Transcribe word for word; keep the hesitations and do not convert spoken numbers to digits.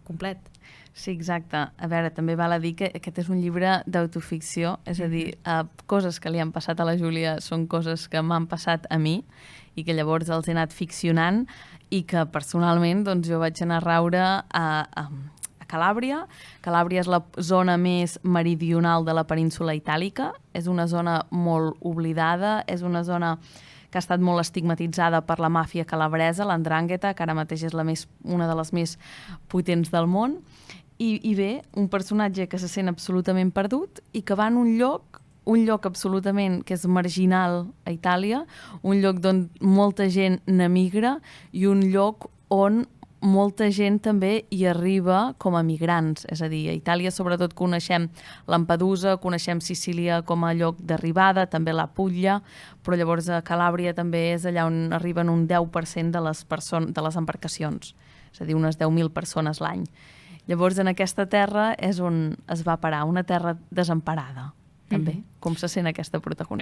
complet. Sí, exacte. A veure, també val a dir que aquest és un llibre d'autoficció, és a dir, uh, coses que li han passat a la Júlia són coses que m'han passat a mi i que llavors els he anat ficcionant i que personalment doncs, jo vaig anar a raure a, a, a Calàbria. Calàbria és la zona més meridional de la península itàlica, és una zona molt oblidada, és una zona que ha estat molt estigmatitzada per la màfia calabresa, l'Andrangheta, que ara mateix és la més, una de les més potents del món. I, I bé, un personatge que se sent absolutament perdut i que va en un lloc, un lloc absolutament que és marginal a Itàlia, un lloc d'on molta gent n'emigra i un lloc on molta gent també hi arriba com a migrants. És a dir, a Itàlia sobretot coneixem Lampedusa, coneixem Sicília com a lloc d'arribada, també la Puglia, però llavors a Calàbria també és allà on arriben un deu per cent de les, person- de les embarcacions, és a dir, unes deu mil persones l'any. Llavors en aquesta terra és on es va parar, una terra desemparada, també, mm-hmm. com se sent aquesta protagonista.